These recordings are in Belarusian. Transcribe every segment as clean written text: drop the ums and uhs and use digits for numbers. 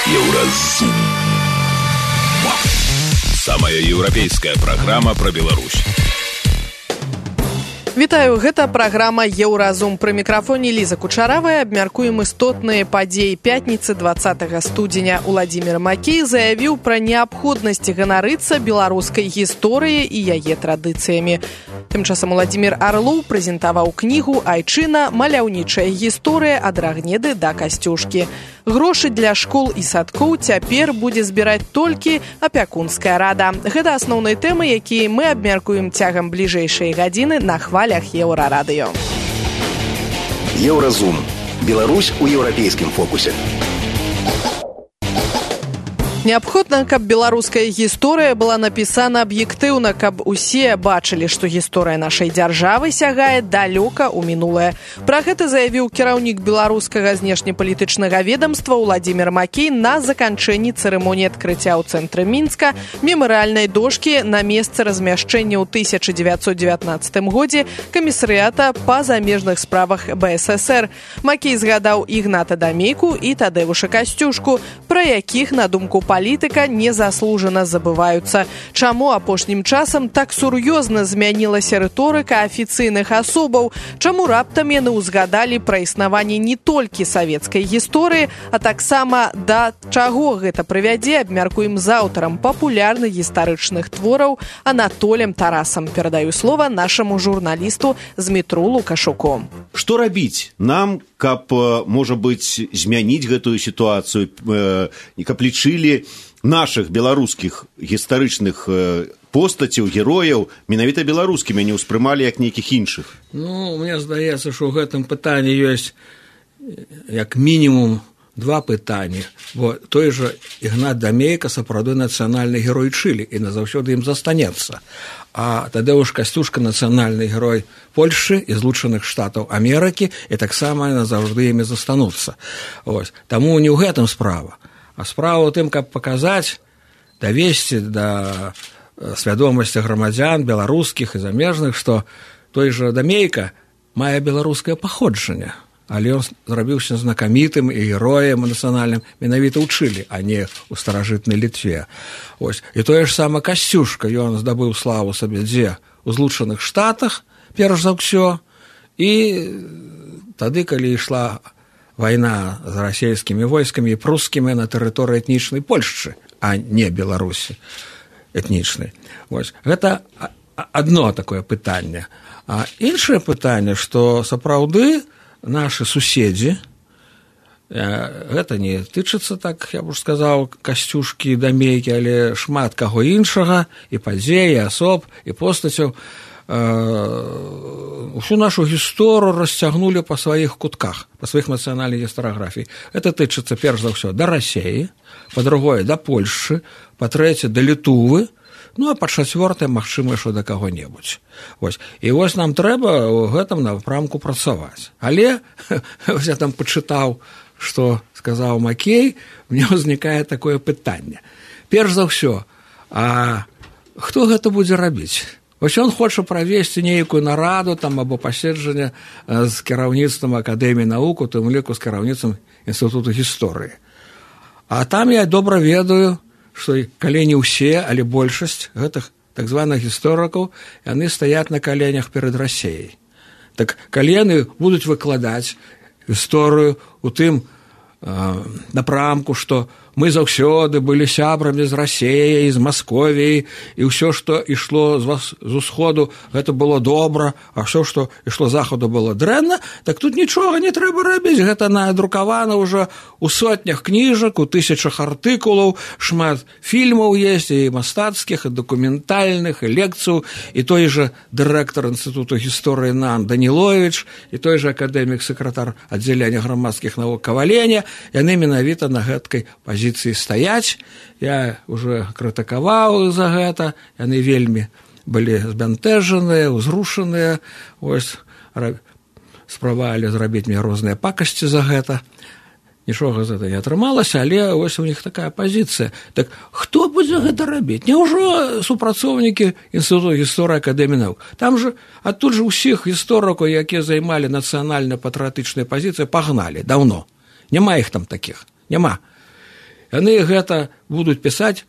Еўразум. Самая еўрапейская праграма пра Беларусь. Вітаю, гэта праграма «Еўразум». Пры мікрафоне Ліза Кучаравая. Абмяркуем істотныя падзеі пятніцы 20 студзеня. Уладзімір Макей заявіў пра неабходнасць ганарыцца беларускай гісторыяй і яе традыцыямі. Тым часам Уладзімір Арлоў прэзентаваў кнігу «Айчына. Маляўнічая гісторыя ад Рагнеды да Касцюшкі». Грошы для школ і садкоў цяпер будзе збіраць толькі апякунская рада. Гэта асноўныя тэмы, якія мы абмяркуем цягам бліжэйшай гадзіны на хвалях Еўрарадыё. Еўразум. Беларусь у еўрапейскім фокусе. Неабходна, каб беларуская гісторыя была напісана аб'ектыўна, каб усе бачылі, што гісторыя нашай дзяржавы сягае далёка ў мінулае. Пра гэта заявіў кіраўнік беларускага знешнепалітычнага ведамства Уладзімір Макей на заканчэнні цырымоніі адкрыцця ў цэнтры Мінска мемарыяльнай дошкі на месцы размяшчэння ў 1919 годзе камісарыята па замежных справах БССР. Макей згадаў Ігната Дамейку і Тадэвуша Касцюшку, пра якіх, на думку палітыка, незаслужана забываюцца. Чаму апошнім часам так сур'ёзна змянілася рыторыка афіцыйных асобаў? Чаму раптам яны ўзгадалі пра існаванне не толькі савецкай гісторыі, а таксама да чаго гэта прывядзе, абмяркуем з аўтарам папулярных гістарычных твораў Анатолем Тарасам. Перадаю слова нашаму журналісту Змітру Лукашуку. Што рабіць нам, каб, можа быць, змяніць гэтую сітуацыю, каб лічылі нашых беларускіх гістарычных постацяў, герояў менавіта беларускімі, не ўспрымалі як нейкіх іншых? Мне здаецца, што ў гэтым пытанні ёсць як мінімум два пытанні. Бо той жа Ігнат Дамейка сапраўды нацыянальны герой Чылі і назаўсёды ім застанецца. А Тадэвуш Касцюшка нацыянальны герой Польшчы і Злучаных Штатаў Амерыкі, і таксама назаўжды імі застануцца. Таму не ў гэтым справа. А справа ў тым, каб паказаць, давесці да свядомасці грамадзян беларускіх і замежных, што той жа Дамейка мае беларускае паходжанне, але ён зрабіўся знакамітым і героем нацыянальным менавіта ў Чылі, а не ў старажытнай Літве. І тое ж сама Касцюшка, ён здабыў славу сабе дзе? У Злучаных Штатах, перш за ўсё, і тады, калі ішла вайна з расійскімі войскамі і прускімі на тэрыторыі этнічнай Польшчы, а не Беларусі этнічнай. Гэта адно такое пытанне. А іншае пытанне, што сапраўды нашы суседзі, гэта не тычыцца, так я б сказаў, Касцюшкі, Дамейкі, але шмат каго іншага, і падзей, і асоб, і постацяў, усю нашу гісторыю расцягнулі па сваіх кутках, па сваіх нацыянальных гістарыяграфій. Гэта тычыцца, перш за ўсё, да Расіі, па-другое, да Польшчы, па-трэцяе, да Літувы, а па-чацвёртае, магчыма, што да каго-небудзь. І нам трэба ў гэтым напрамку працаваць. Але, я там пачытаў, што сказаў Макей, мне ўзнікае такое пытанне. Перш за ўсё, а хто гэта будзе рабіць? Ён хоча правесці нейкую нараду там, або паседжанне з кіраўніцтвам Акадэміі навук, у тым ліку з кіраўніцтвам Інстытуту гісторыі. А там я добра ведаю, што калі не ўсе, але большасць гэтых так званых гісторыкаў, яны стаяць на каленях перад Расіяй. Так калі яны будуць выкладаць гісторыю у тым напрамку, што мы заўсёды былі сябрамі з Расіяй, з Масковіяй, і ўсё, што ішло з усходу, гэта было добра, а ўсё, што ішло з захаду, было дрэнна, так тут нічога не трэба рабіць. Гэта надрукавана ўжо ў сотнях кніжак, у тысячах артыкулаў, шмат фільмаў ёсць, і мастацкіх, і дакументальных, і лекцыяў, і той жа дырэктар Інстытуту гісторыі НАН Даніловіч, і той жа акадэмік-сакратар аддзялення грамадскіх навук Каваленя, яны менавіта на гэткай пазіцыі стаяць. Я уже крытыкаваў за гэта, яны вельмі былі збянтэжаныя, узрушаныя, спрабавалі зрабіць мне розныя пакасці за гэта. Нічога з гэта не атрымалася, але у них такая пазіцыя. Так хто будзе гэта рабіць? Няўжо супрацоўнікі Інстытуту гісторыі Акадэміі навук? Там же адтуль же ўсіх гісторыкаў, якія займалі нацыянальна-патрыятычныя пазіцыі, пагналі даўно. Няма іх там такіх, няма. яны гэта будуць пісаць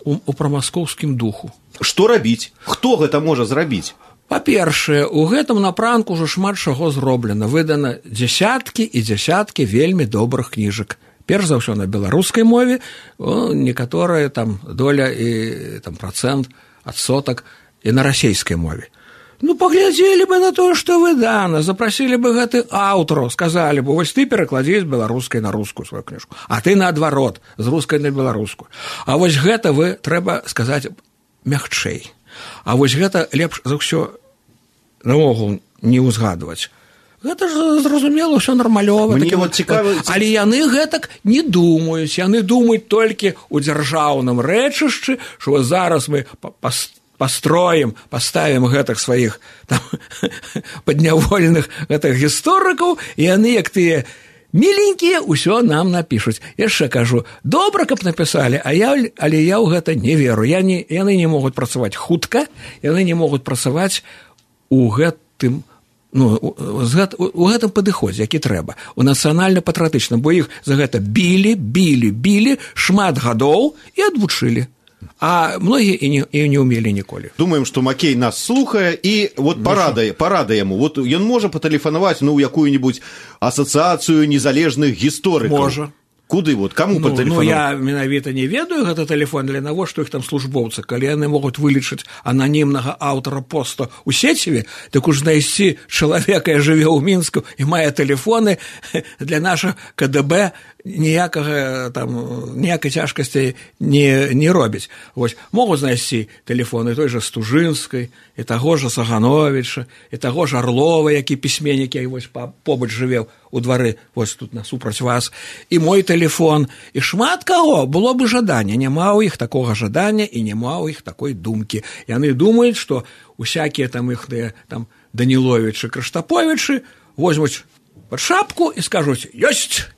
у прамаскоўскім духу. Што рабіць? Хто гэта можа зрабіць? Па-першае, у гэтым напрамку ўжо шмат чаго зроблена. Выдана дзясяткі і дзясяткі вельмі добрых кніжак. Перш за ўсё на беларускай мове, некаторая там доля і там працэнт, адсотак і на расейскай мове. Ну, паглядзелі бы на тое, што выдана, запрасілі бы гэты аўтараў, сказалі бы, вось ты перакладзі з беларускай на рускую сваю кніжку, а ты наадварот, з рускай на беларускую. А вось гэта вы, трэба сказаць, мякчэй. А вось гэта лепш за ўсё наогул не ўзгадваць. Гэта ж, зразумела, ўсё нармалёва. Але яны гэтак не думаюць. Яны думаюць толькі ў дзяржаўным рэчышчы, што зараз мы паставім гэтых сваіх там, паднявольных гэтых гісторыкаў, і яны, як тыя міленькія, ўсё нам напішуць. Яшчэ кажу, добра, каб напісалі, але я ў гэта не веру. Яны не могуць працаваць хутка, яны не могуць працаваць у гэтым у гэтым падыходзе, які трэба, у нацыянальна-патрыятычным, бо іх за гэта білі шмат гадоў і адвучылі. А многія і не ўмелі ніколі. Думаем, што Макей нас слухае, і вот парада яму. Вот ён можа патэлефанаваць ў якую-нибудь асацыяцыю незалежных гісторыкаў. Можа. Куды? Вот, каму патэлефанаваць? Я менавіта не ведаю гэта тэлефон, для навошта іх там службоўцы. Калі яны могуць вылічыць ананімнага аўтара поста ў сеціве, так уж знайсці чалавека, які жыве ў Мінску і мае тэлефоны, для нашых КДБ ніякай цяжкасці не робіць. Вось, могуць знайсці тэлефоны той жа Стужынскай, і таго ж Сагановіча, і таго ж Арлова, які пісьменнік, які вось побач жыве у двары, вось тут насупраць вас, і мой тэлефон, і шмат каго было бы жаданне, няма ў іх такога жадання і няма ў іх такой думкі. Яны думаюць, што усякія там іхныя там Даніловічы, Крыштаповічы возьмуць пад шапку і скажуць: ёсць,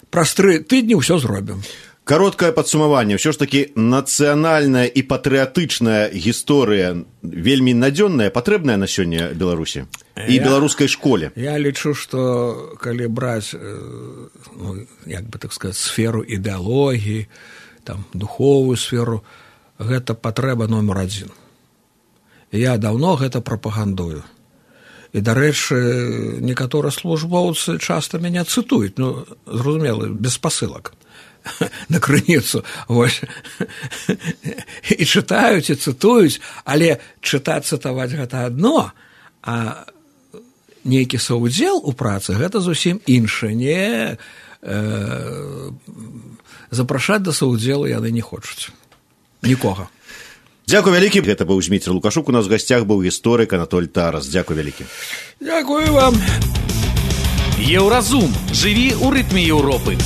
праз 3 тыдні ўсё зробім. Кароткае падсумаванне. Ўсё ж такі нацыянальная і патрыятычная гісторыя вельмі надзённая, патрэбная на сёння Беларусі і беларускай школе. Я лічу, што калі браць, як бы так сказаць, сферу ідэалогіі, там, духовую сферу, гэта патрэба номер 1. Я даўно гэта прапагандую. І, дарэчы, некаторыя службоўцы часта мяне цытуюць, зразумела, без спасылак. На крыніцу, вось, і чытаюць, і цытуюць, але цытаваць гэта адно, а нейкі саўдзел у працы гэта зусім іншае. Не запрашаць да саўдзелу яны не хочуць. Нікога. Дзякуй вялікі. Гэта быў Зміцер Лукашук, у нас в гасцях быў гісторык Анатоль Тарас. Дзякуй вялікі. Дзякуй вам. Еўразум. Жыві ў рытме Еўропы.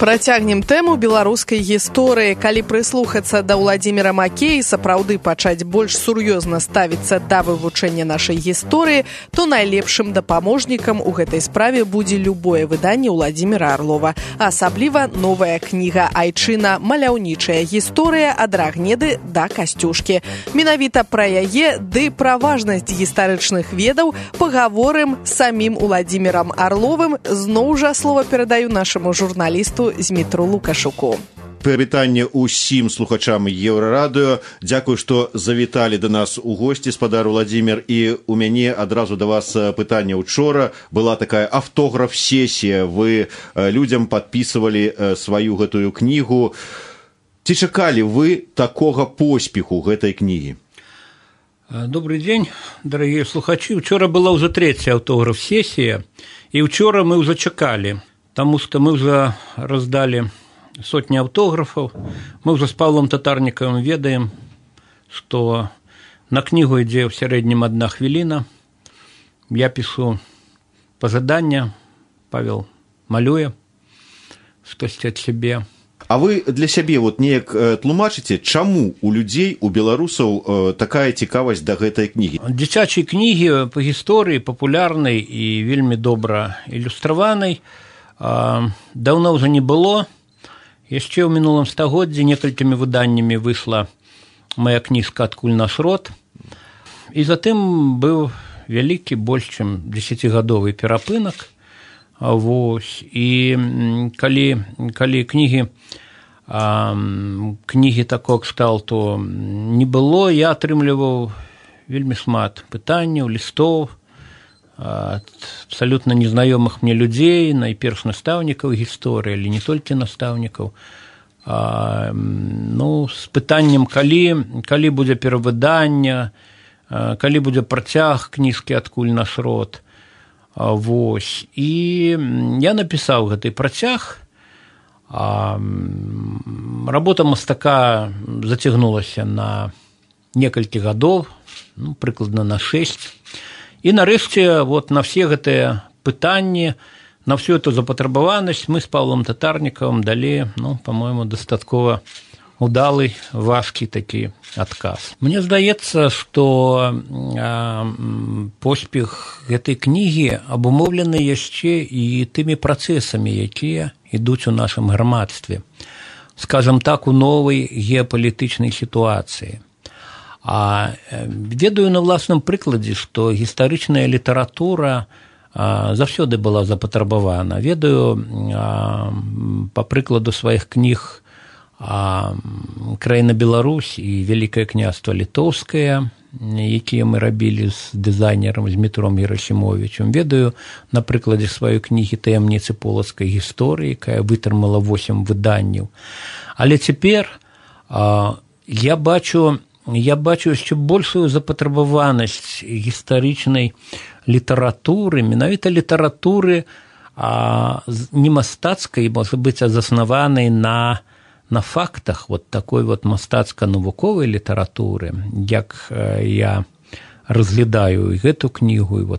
Працягнем тэму беларускай гісторыі. Калі прыслухацца да Ўладзіміра Макея, сапраўды пачаць больш сур'ёзна ставіцца да вывучэння нашай гісторыі, то найлепшым дапаможнікам у гэтай справе будзе любое выданне Ўладзіміра Арлова. Асабліва новая кніга «Айчына. Маляўнічая гісторыя ад Рагнеды да Касцюшкі». Менавіта пра яе ды пра важнасць гістарычных ведаў пагаворым з самім Ўладзімірам Арловым. Зноў жа слова перадаю нашаму журналісту Змітру Лукашуку. Прывітанне ўсім слухачам Еўрарадыё. Дзякуй, што завіталі да нас у госці, спадар Уладзімір. І у мяне адразу да вас пытанне. Учора была такая аўтограф-сесія. Вы людзям падпісвалі сваю гэтую кнігу. Ці чакалі вы такога поспеху гэтай кнігі? Добрый день, дорогие слухачи. Учора была уже 3-я аўтограф-сесія, і учора мы уже чакалі. Таму што мы ўжо раздалі сотні аўтографаў. Мы ўжо з Павлом Татарнікавым ведаем, што на кнігу ідзе ў сярэднім 1 хвіліна. Я пішу пажаданне, Павел малюе штосьці ад сябе. А вы для сябе вот неяк тлумачыце, чаму у людзей, у беларусаў такая цікавасць да гэтай кнігі? Дзіцячай кнігі па гісторыі папулярнай і вельмі добра ілюстраванай даўно ўжо не было. Яшчэ ў мінулым стагоддзі некалькімі выданнямі выйшла моя кніжка «Адкуль наш род». І затым быў вялікі, больш чым 10-гадовы перапынак. Вось. І калі кнігі такого кшталту не было, я атрымліваў вельмі шмат пытанняў, лістоў ад абсалютна незнаёмых мне людзей, найперш настаўнікаў гісторыі, але не толькі настаўнікаў, з пытаннем, калі будзе перавыданне, калі будзе працяг кніжкі «Адкуль наш род». Вось. І я напісаў гэты працяг. Работа мастака зацягнулася на некалькі гадоў, прыкладна на 6. І нарэшце на все гэтыя пытанні, на всю эту запатрабаванасць мы з Павлом Татарнікавым далі, па-моему, дастаткова удалы, важкі такі адказ. Мне здаецца, што поспех гэтай кнігі абумоўлены яшчэ і тымі працэсамі, якія ідуць у нашым грамадстве, скажам так, у новай геапалітычнай сітуацыі. Ведаю на власным прыкладзе, што гістарычная літаратура заўсёды была запатрабавана. Ведаю па прыкладу сваіх кніг «Краіна Беларусь» і «Вялікае княства Літоўскае», якія мы рабілі з дызайнерам, з Дмітром Герасімовічем. Ведаю на прыкладзе сваёй кнігі «Таямніцы полацкай гісторыі», якая вытрымала 8 выданняў. Але цяпер я бачу яшчэ большую запатрабаванасць гістарычнай літаратуры, менавіта літаратуры не мастацкай, можа быць, заснаванай на фактах такой мастацка-навуковай літаратуры, як я разглядаю і гэту кнігу, і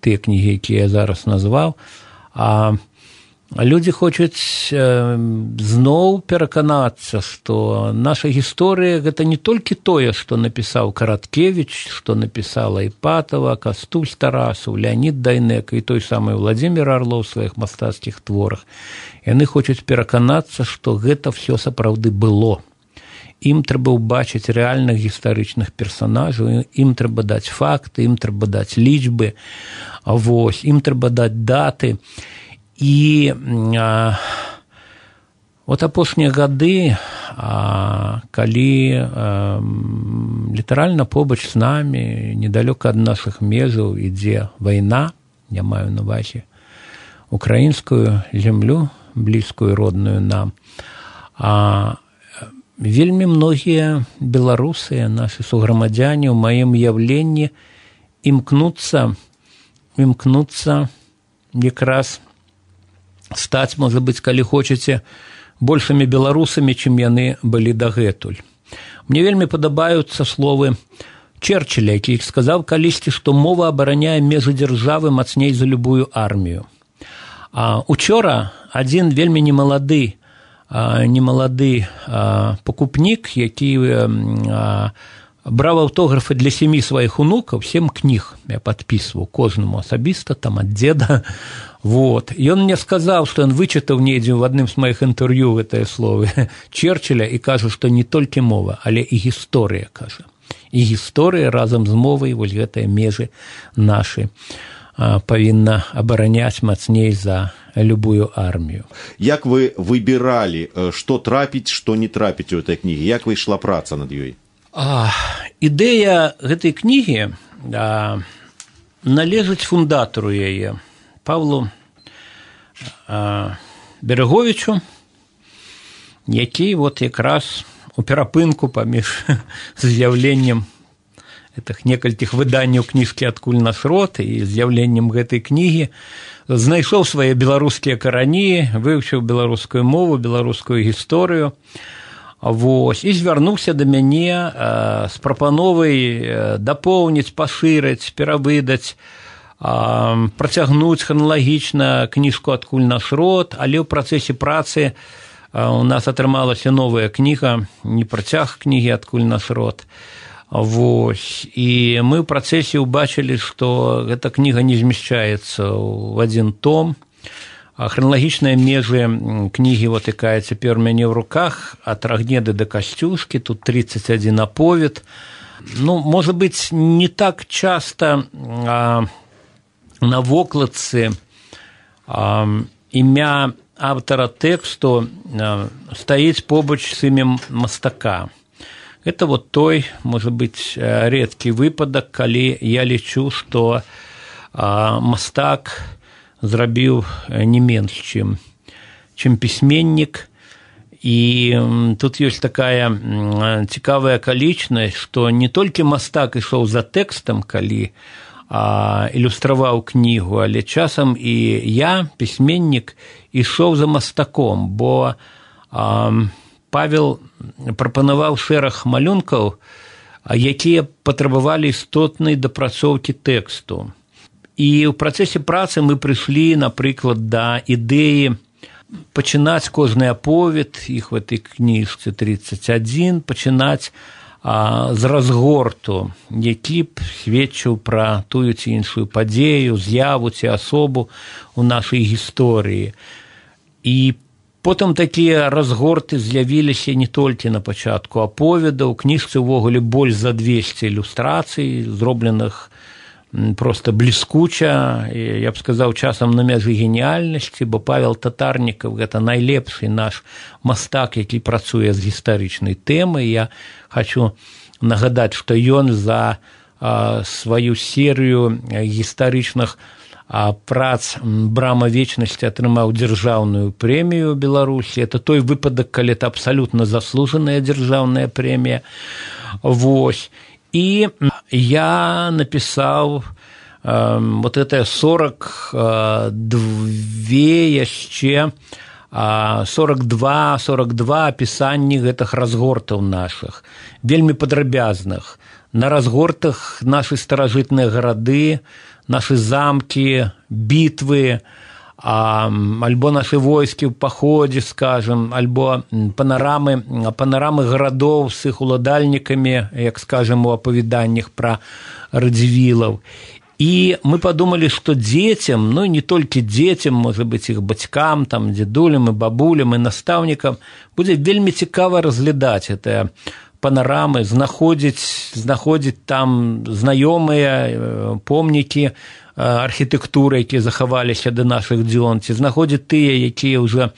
тыя кнігі, якія я зараз назваў, людзі хочуць зноў пераканацца, што наша гісторыя – гэта не толькі тое, што напісаў Караткевіч, што напісала Іпатава, Кастусь Тарасаў, Леонід Дайнека і той самы Владзімір Арлоў у сваіх мастацкіх творах. Яны хочуць пераканацца, што гэта ўсё сапраўды было. Ім трэба ўбачыць рэальных гістарычных персанажаў, ім трэба даць факты, ім трэба даць лічбы, ім трэба даць даты. І апошнія гады, калі літаральна побач з намі, недалёка ад нашых межаў ідзе вайна, я маю на ўвазе украінскую зямлю, блізкую, родную нам, вельмі многія беларусы, нашы суграмадзяне ў маім уяўленні імкнуцца якраз стаць, можа быць, калі хочаце, большымі беларусамі, чым яны былі дагэтуль. Мне вельмі падабаюцца словы Черчилля, які сказаў калісьці, што мова абараняе межы дзяржавы мацней за любую армію. Учора адзін вельмі немалады пакупнік, які браў аўтографы для 7 сваіх унукаў, 7 кніг я падпісваў кожнаму асабіста, там ад дзеда. Ён мне сказаў, што ён вычытаў недзе ў адным з маіх інтэрв'ю гэтыя словы Черчилля і кажа, што не толькі мова, але і гісторыя, кажа. І гісторыя разам з мовай, гэтыя межы нашы павінна абараняць мацней за любую армію. Як вы выбіралі, што трапіць, што не трапіць у гэтай кнігі? Як вы ішла праца над ёй? Ідэя гэтай кнігі належыць фундатару яе, Павлу Береговічу, які якраз у перапынку паміж з'яўленнем некалькіх выданняў кніжкі «Адкуль наш род» і з'яўленнем гэтай кнігі знайшоў свае беларускія карані, вывучыў беларускую мову, беларускую гісторыю, і звярнуўся да мяне з прапановай дапоўніць, пашырыць, перавыдаць, працягнуць храналагічна кніжку «Адкуль наш род», але ў працэсе працы у нас атрымалася новая кніга, не працяг кнігі «Адкуль наш род». І мы ў працэсе ўбачылі, што гэта кніга не змяшчаецца ў адзін том. Храналагічныя межы кнігі, якая цяпер у мяне ў руках, ад Рагнеды да Касцюшкі, тут 31 аповед. Можа быць, не так часта на вокладцы імя автора тэксту стаіць побач з імем мастака. Это вот той, может быть, редкий выпадок, калі я лічу, што мастак зрабіў не менш, чым пісьменнік. І тут ёсць такая цікавая акалічнасць, што не толькі мастак ішоў за тэкстам, калі ілюстраваў кнігу, але часам і я, пісьменнік, ішоў за мастаком, бо Павел прапанаваў шэраг малюнкаў, якія патрабавалі істотнай дапрацоўкі тэксту. І ў працэсе працы мы прыйшлі, напрыклад, да ідэі пачынаць кожны аповед, іх в этой кніжцы 31, пачынаць з разгорту, які б сведчыў пра тую ці іншую падзею, з'яву ці асобу ў нашай гісторыі. І потым такія разгорты з'явіліся не толькі на пачатку аповеда, у кніжцы ўвогуле больш за 200 ілюстрацый, зробленых просто бліскуча, я б сказаў, часам на мяжы геніяльнасці, бо Павел Татарнікаў – гэта найлепшы наш мастак, які працуе з гістарычнай тэмай. Я хочу нагадаць, што ён за сваю серыю гістарычных прац «Брама вечнасці» атрымаў дзяржаўную прэмію Беларусі. Это той выпадак, калі это абсалютна заслужаная дзяржаўная прэмія. Вось. І я напісаў вот это 42 яшчэ 42 апісанні гэтых разгортаў нашых, вельмі падрабязных. На разгортах нашы старажытныя гарады, нашы замкі, бітвы, альбо нашы войскі ў паходзе, скажем, альбо панарамы гарадоў з іх уладальнікамі, як скажем, у апавяданнях пра радзівілаў. І мы падумалі, што дзецям, ну не толькі дзецям, можа быць, іх бацькам, там, дзедулям і бабулям і настаўнікам будзе вельмі цікава разглядаць гэтыя панарамы, знаходзіць там знаёмыя помнікі архітэктуры, якія захаваліся да нашых дзён, ці знаходзіць тыя, якія ўжо,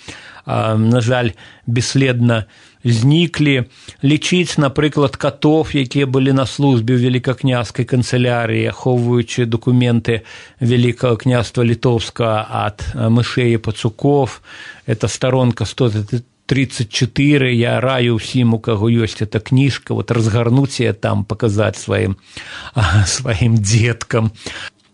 на жаль, бесследна зніклі, лічыць, напрыклад, катоў, якія былі на службе ў вялікакняскай канцылярыі, ахоўваючы дакументы Вялікага княства Літоўскага ад мышэй і пацукоў. Это старонка 134, я раю ўсім, у каго ёсць эта кніжка, вот разгарнуць яе там, паказаць сваім дзеткам.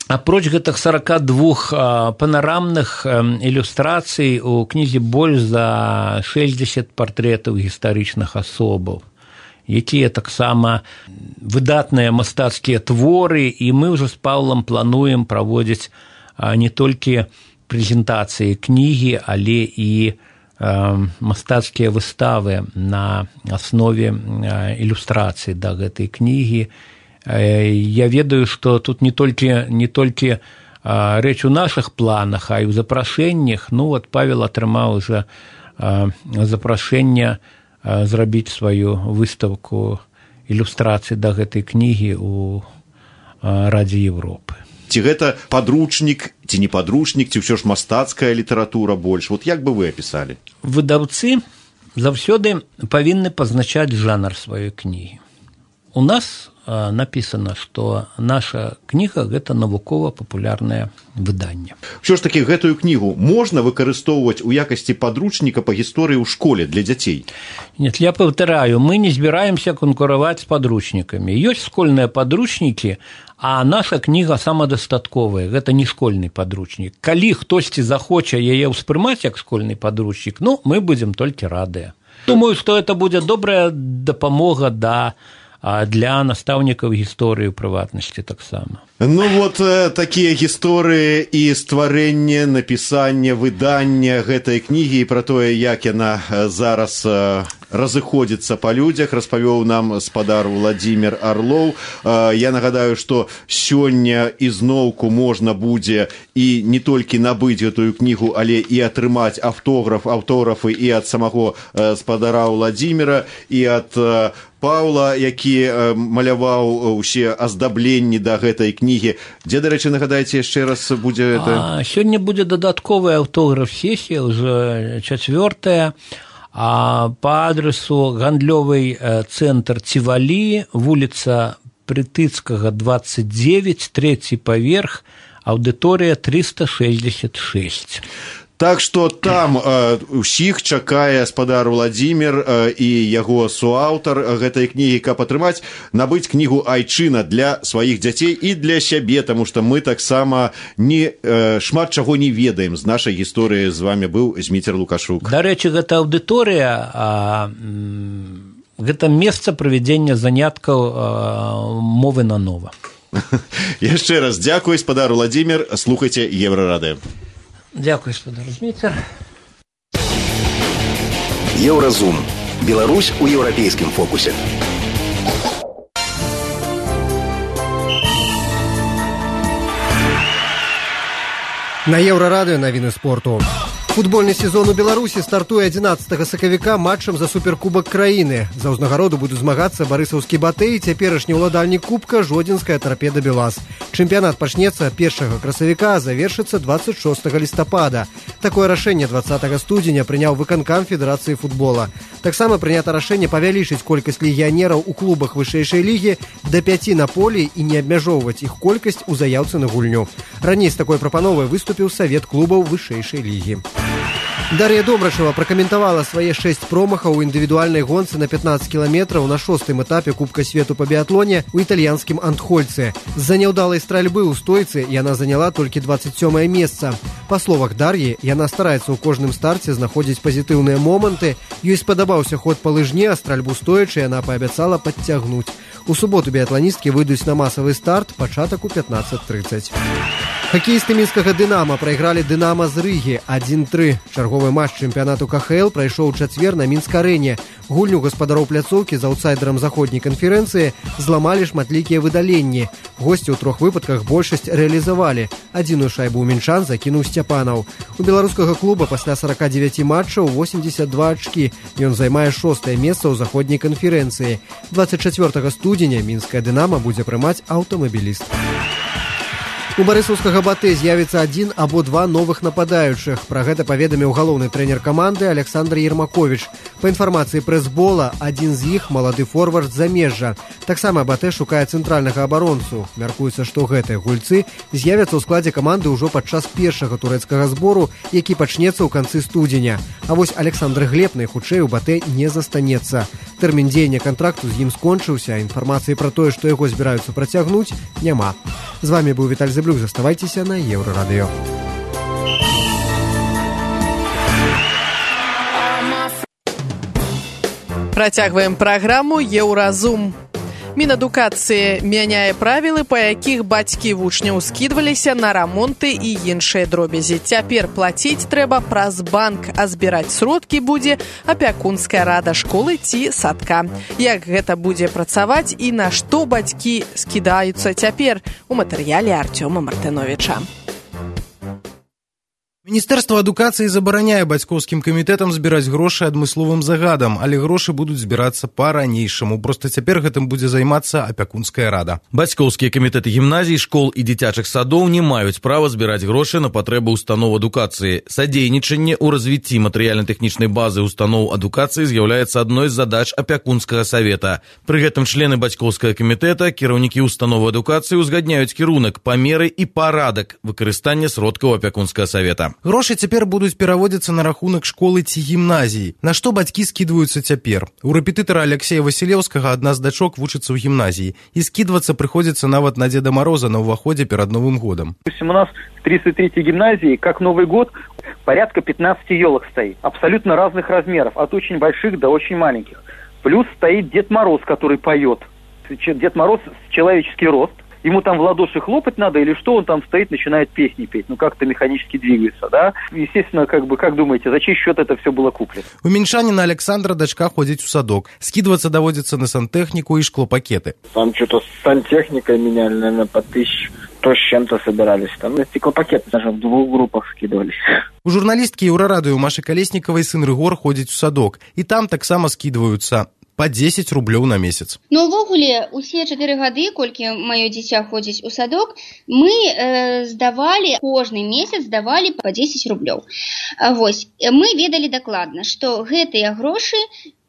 Апроч гэтых 42 панарамных ілюстрацый у кнізе больш за 60 партрэтаў гістарычных асобаў, якія таксама выдатныя мастацкія творы, і мы ўжо з Паўлам плануем праводзіць не толькі прэзентацыі кнігі, але і мастацкія выставы на аснове ілюстрацый да гэтай кнігі. Я ведаю, што тут не толькі рэч у нашых планах, а і ў запрашэннях. Ну, вот Павел атрымаў уже запрашэнне зрабіць сваю выстаўку ілюстрацый да гэтай кнігі ў Радзе Европы. Ці гэта падручнік, ці не падручнік, ці ўсё ж мастацкая літаратура больш? Вот як бы вы апісалі? Выдаўцы заўсёды павінны пазначаць жанр сваёй кнігі. У нас написано, што наша кніга – гэта навукова-папулярнае выданне. Усё ж такі гэтую кнігу можна выкарыстоўваць у якасці падручніка па гісторыі ў школе для дзяцей? Нет, я паўтараю, мы не збіраемся канкураваць з падручнікамі. Ёсць школьныя падручнікі, а наша кніга самадастатковая, гэта не школьны падручнік. Калі хтосьці захоча яе ўспрымаць як школьны падручнік, ну, мы будзем толькі радыя. Думаю, што гэта будзе добрая дапамога для настаўнікаў гісторыі ў прыватнасці таксама. Ну вот такія гісторыі і стварэнне, напісанне, выданне гэтай кнігі і пра тое, як яна зараз разыходзіцца па людзях, распавёў нам спадар Владзімір Арлоў. Я нагадаю, што сёння ізноўку можна будзе і не толькі набыць гэтую кнігу, але і атрымаць аўтографы і ад самого спадара Владзіміра, і ад Паўла, які маляваў усе аздабленні да гэтай кнігі. Дзе, дарэчы, нагадайце, яшчэ раз будзе это? Сёння будзе дадатковая аўтограф-сесія, ўжо 4-я, па адресу гандлёвы цэнтр Цівалі, вуліца Прытыцкага, 29, 3-й паверх, аўдыторыя 366. Так што там усіх чакае спадар Владзімір і яго суаўтар гэтай кнігі, каб атрымаць, набыць кнігу «Айчына» для сваіх дзяцей і для сябе, таму што мы таксама шмат чаго не ведаем з нашай гісторыі. З вамі быў Зміцер Лукашук. Дарэчы, гэта аўдыторыя, гэта месца правядзення заняткаў мовы на нова. Яшчэ раз дзякуй, спадар Владзімір, слухайце Еўрарадыё. Дзякуй, спадар Зміцер. Еўразум. Беларусь у еўрапейскім фокусе. На Еўрарадыё навіны спорту. Футбольны сезон у Беларусі стартуе 11 сакавіка матчам за суперкубак краіны. За ўзнагароду будуць змагацца барысаўскі «Батэй» і цяперашні ўладальнік кубка жодзінская «Тарпеда Белаз». Чэмпіянат пачнецца 1 красавіка, а завершыцца 26 лістапада. Такое рашэнне 20 студзеня прыняў выканкам Федэрацыі футбола. Таксама прынята рашэнне павялічыць колькасць легіянераў у клубах вышэйшай лігі да 5 на полі і не абмяжоўваць іх колькасць у заяўцы на гульню. Раней з такой прапановай выступіў Савет клубаў вышэйшай лігі. Дар'я Домрачева пракаментавала свае 6 промахаў у індывідуальнай гонцы на 15 кіламетраў на 6-м этапе Кубка свету па біятлоне ў італьянскім Антхольцы. З-за няўдалай стральбы ў стойцы яна заняла толькі 27-е месца. Па словах Дар'і, яна стараецца ў кожным старце знаходзіць пазітыўныя моманты. Ёй спадабаўся ход па лыжне, а стральбу стоячы яна паабяцала падцягнуць. У суботу біятланісткі выйдуць на масавы старт, пачатак у 15:30. Хакеісты мінскага «Дынама» прайгралі «Дынама» з Рыгі 1-3. Чарговы матч чэмпіянату КХЛ прайшоў у чацвер на Мінск-арэне. Гульню гаспадароў пляцоўкі з аўтсайдерам заходняй канферэнцыі зламалі шматлікія выдаленні. Госці ў 3 выпадках большасць рэалізавалі. Адзіную шайбу ў мінчан закінуў Сцяпанаў. У беларускага клуба пасля 49 матчаў 82 ачкі. Ён займае 6-е месца ў заходняй канферэнцыі. 24 студзеня мінская «Дынама» будзе прымаць «Аўтамабіліст». У барысаўскага «Батэ» з'явіцца 1 або 2 новых нападаючых. Пра гэта паведаміў галоўны трэнер каманды Александр Ермакович. Па інфармацыі прэс-бола, адзін з іх малады форвард з замежжа. Таксама «Батэ» шукае цэнтральнага абаронцу. Мяркуецца, што гэтыя гульцы з'явяцца ў складзе каманды ўжо падчас першага турэцкага збору, які пачнецца ў канцы студзеня. А вось Александр Глеб найхутчэй у «Батэ» не застанецца. Тэрмін дзеяння кантракту з ім скончыўся, а інфармацыі пра тое, што яго збіраюцца працягнуць, няма. З вамі быў Віталь Зэблюк, заставайцеся на Еўрарадыё. Працягваем праграму «Еўразум». Мінадукацыі мяняе правілы, па якіх бацькі вучняў скідваліся на рамонты і іншыя дробязі. Цяпер плаціць трэба праз банк, а збіраць сродкі будзе апякунская рада школы ці садка. Як гэта будзе працаваць і на што бацькі скідаюцца цяпер, у матэрыяле Артёма Мартыновіча. Міністэрства адукацыі забараняе бацькоўскім камітэтам збіраць грошы адмысловым загадам, але грошы будуць збірацца па-ранейшаму. Проста цяпер гэтым будзе займацца апякунская рада. Бацькоўскія камітэты гімназій, школ і дзіцячых садоў не маюць права збіраць грошы на патрэбы устаноў адукацыі. Садзейнічанне ў развіцці матэрыяльна-тэхнічнай базы устаноў адукацыі з'яўляецца адной з задач апякунскага савета. Пры гэтым члены бацькоўскага камітэта, кіраўнікі установы адукацыі узгадняюць кірунак, памеры і парадак выкарыстання сродкаў апякунскага савета. Грошы цяпер будуць пераводзіцца на рахунак школы ці гімназіі. На што бацькі скідваюцца цяпер? У рэпетытара Алексея Васілеўскага адна з дачок вучыцца ў гімназіі. І скідвацца прыходзіцца нават на Деда Мороза на ўваходзе перад Новым годом. У нас в 33-й гимназии, как Новый год, порядка 15 елок стоит. Абсолютно разных размеров, от очень больших до очень маленьких. Плюс стоит Дед Мороз, который поет. Дед Мороз человеческий рост. Ему там в ладоши хлопать надо, или что, он там стоит, начинает песни петь, как-то механически двигается, да? Естественно, как думаете, за чей счет это все было куплено? У мінчаніна Александра дачка ходзіць у садок. Скидываться даводится на сантехнику и шклопакеты. Там что-то с сантехникой меняли, наверное, по 1100 с чем-то собирались. Там на стеклопакеты даже в 2 группах скидывались. У журналісткі Еўрарадыё Машы Калесніковай сын Рыгор ходзіць у садок. І там таксама скидываются. Па 10 рублёў на месяц. Ну, увогуле, усе 4 гады, колькі маё дзіця ходзіць у садок, мы здавалі, кожны месяц здавалі па 10 рублёў. Вось, мы ведалі дакладна, што гэтыя грошы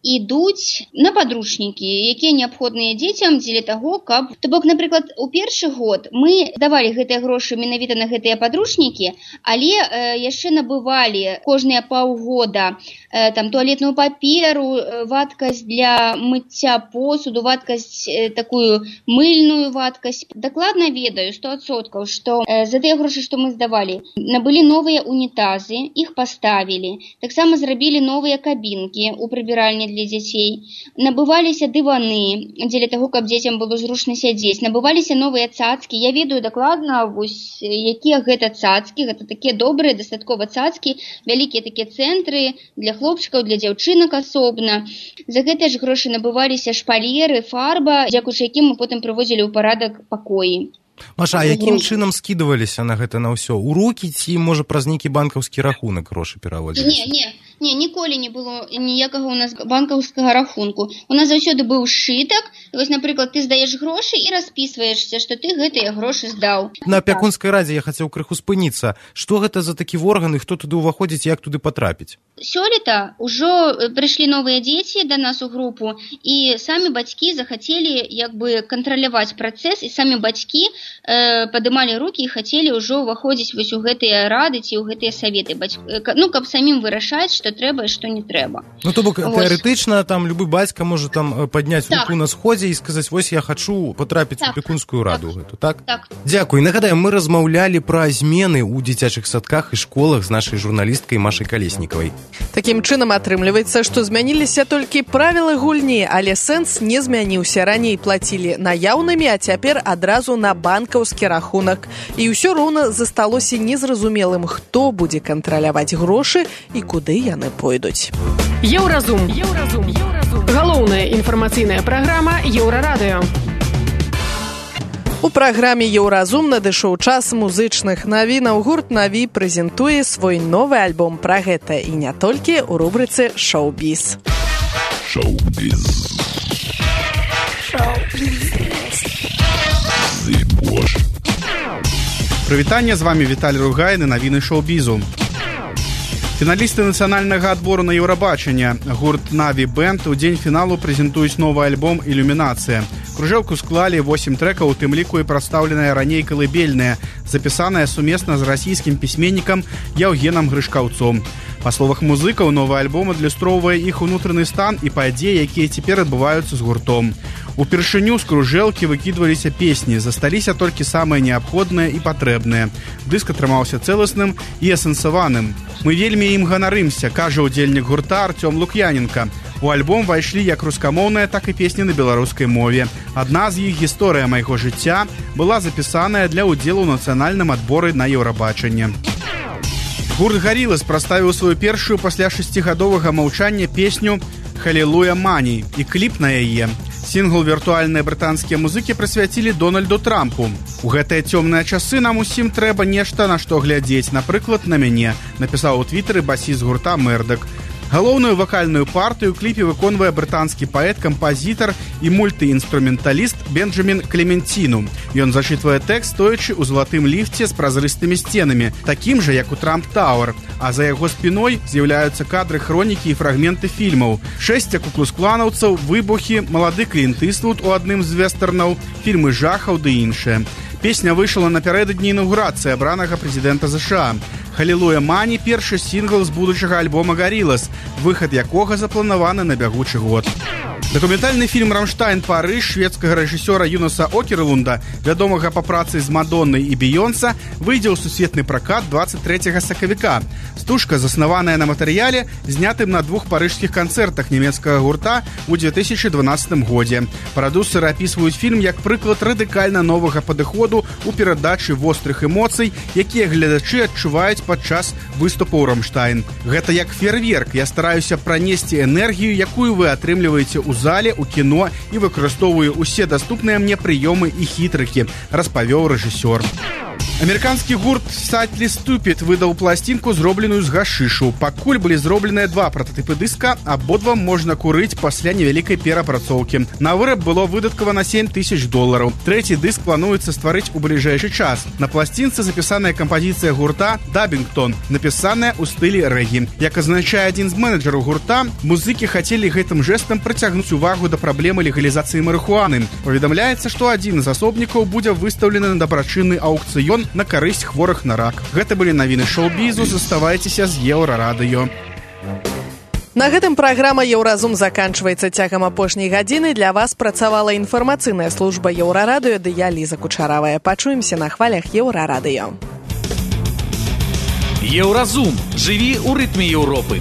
ідуць на падручнікі, якія неабходныя дзецям дзеля таго, каб... То бок, напрыклад, у першы год мы давалі гэтыя грошы менавіта на гэтыя падручнікі, але яшчэ набывалі кожныя паўгода там туалетную паперу, вадкасць для мыцця посуду, вадкасць такую мыльную вадкасць. Дакладна ведаю 100%, што за тыя грошы, што мы здавалі, набылі новыя унітазы, іх паставілі. Таксама зрабілі новыя кабінкі ў прыбіральні для дзяцей. Набываліся дываны, дзеля таго, каб дзецям было зручна сядзець. Набываліся новыя цацкі. Я ведаю дакладна, вось, якія гэта цацкі. Гэта такія добрыя, дастаткова цацкі, вялікія такія цэнтры для хлопчыкаў, для дзяўчынак асобна. За гэтыя ж грошы набываліся шпалеры, фарба, дзякуючы якім мы потым прыводзілі ў парадак пакоі. Маша, а якім чынам скідываліся на гэта на ўсё? У рукі ці, можа, праз нейкі банкаўскі рахунак грошы пераводзіліся? Не, ніколі не было ніякага у нас банкаўскага рахунку. У нас заўсёды быў сшытак. Вось, напрыклад, ты здаеш грошы і распісваешся, што ты гэтыя грошы здаў. На апякунскай радзе я хацеў крыху спыніцца. Што гэта за такі орган і хто туды ўваходзіць, як туды патрапіць? Сёлета ўжо прыйшлі новыя дзеці да нас у групу, і самі бацькі захацелі як бы кантраляваць працэс, і самі бацькі падымалі рукі і хацелі ўжо ўваходзіць вось у гэтыя рады ці ў гэтыя саветы, ну, каб самім вырашаць, што трэба і што не трэба. Ну, то бок, тэарэтычна, там, любы бацька можа там падняць руку на сходзе і сказаць, вось я хачу патрапіць у апекунскую раду гэту, так? Так. Дзякуй. Нагадаем, мы размаўлялі пра змены ў дзіцячых садках і школах з нашай журналісткай Машай Калеснікавай. Такім чынам атрымліваецца, што змяніліся толькі правілы гульні, але сэнс не змяніўся. Раней плацілі наяўнымі, а цяпер адразу на банкаўскі рахунак. І ўсё роўна засталося незразумелым, хто будзе кантраляваць грошы і куды яны пойдуць. Еўразум. Галоўная інфармацыйная праграма Еўрарадыё. У праграме «Еўразум» надышоў час музычных навінаў. Гурт «Наві» прэзентуе свой новы альбом. Пра гэта і не толькі ў рубрыцы «Шоу-біз». Прывітанне, з вами Віталій Ругайн і навіны шоу-бізу. Фіналісты нацыянальнага адбору на Еўрабачанне гурт «Наві Бэнд» у дзень фіналу прэзентуюць новы альбом «Ілюмінацыя». Кружэлку склалі 8 трэкаў, у тым ліку і прадстаўленая раней калыбельная, запісаная сумесна з расійскім пісьменнікам Яўгенам Грышкаўцом. Па словах музыкаў, новы альбом адлюстроўвае іх унутраны стан і падзеі, якія цяпер адбываюцца з гуртом. Упершыню з кружэлкі выкідваліся песні, засталіся толькі самыя неабходныя і патрэбныя. Дыск атрымаўся цэласным і асэнсаваным. Мы вельмі ім ганарымся, кажа ўдзельнік гурта Артём Лук'яненка. У альбом вайшлі як рускамоўныя, так і песні на беларускай мове. Адна з іх, «Гісторыя майго жыцця», была запісаная для ўдзелу ў нацыянальным адборы на Еўрабачанне. Гурт «Гарілас» прадставіў сваю першую пасля 6гадовага маўчання песню «Халілуя Мані» і кліп на яе. Сінгл віртуальныя брытанскія музыкі прысвяцілі Дональду Трампу. У гэтыя цёмныя часы нам усім трэба нешта на што глядзець, напрыклад, на мяне, напісаў у твітары басіст гурта Мердак. Галоўную вакальную партыю ў кліпе выконвае брытанскі паэт, кампазітар і мультыінструменталіст Бенджамін Клементіну. Ён зачытвае тэкст, стоячы ў залатым ліфце з празрыстымі сценамі, такім жа, як у Трамп Тауэр, а за яго спіной з'яўляюцца кадры хронікі і фрагменты фільмаў. 6 куклус-кланаўцаў, выбухі, малады Клінт Іствуд у адным з вестэрнаў, фільмы жахаў ды іншыя. Песня выйшла напярэдадні інаўгурацыі абранага прэзідэнта США. «Халілуя Мані» – першы сінгл з будучага альбома «Гарілас», выхад якога запланаваны на бягучы год. Дакументальны фільм «Рамштайн. Парыж» шведскага рэжысёра Юнаса Окерлунда, вядомага па працы з Мадоннай і Бейонса, выйдзе ў сусветны пракат 23 сакавіка. Стужка заснаваная на матэрыяле, знятым на 2 парыжскіх канцэртах нямецкага гурта ў 2012 годзе. Прадюсеры апісваюць фільм як прыклад радыкальна новага падыходу ў перадачы вострых эмоцый, якія гледачы адчуваюць падчас выступаў «Рамштайн». Гэта як фейерверк. Я стараюся пранесці энергію, якую вы атрымліваеце ў зале, у кіно і выкарыстоўваю усе даступныя мне прыёмы і хітрыкі, распавёў рэжысёр. Амерыканскі гурт Sadly Stupid выдаў пласцінку, зробленую з гашышу. Пакуль былі зробленыя 2 прататыпы дыска, абодва можна курыць пасля невялікай перапрацоўкі. На выраб было выдаткавана $7000. Трэці дыск плануецца стварыць у бліжэйшы час. На пласцінцы запісаная кампазіцыя гурта «Дабінгтон», напісаная ў стылі рэгі. Як азначае адзін з менеджераў гурта, музыкі хацелі гэтым жэстам прыцягнуць увагу да праблемы легалізацыі марыхуаны. Паведамляецца, што адзін з асобнікаў будзе выстаўлены на дабрачынны аўкцыён на карысць хворых на рак. Гэта былі навіны шоу-бізу. Заставайцеся з Еўрарадыё. На гэтым праграма «Еўразум» заканчваецца. Цягам апошняй гадзіны для вас працавала інфармацыйная служба Еўрарадыё, ды я, Ліза Кучаравая. Пачуемся на хвалях Еўрарадыё. Еўразум. Жыві ў рытме Еўропы.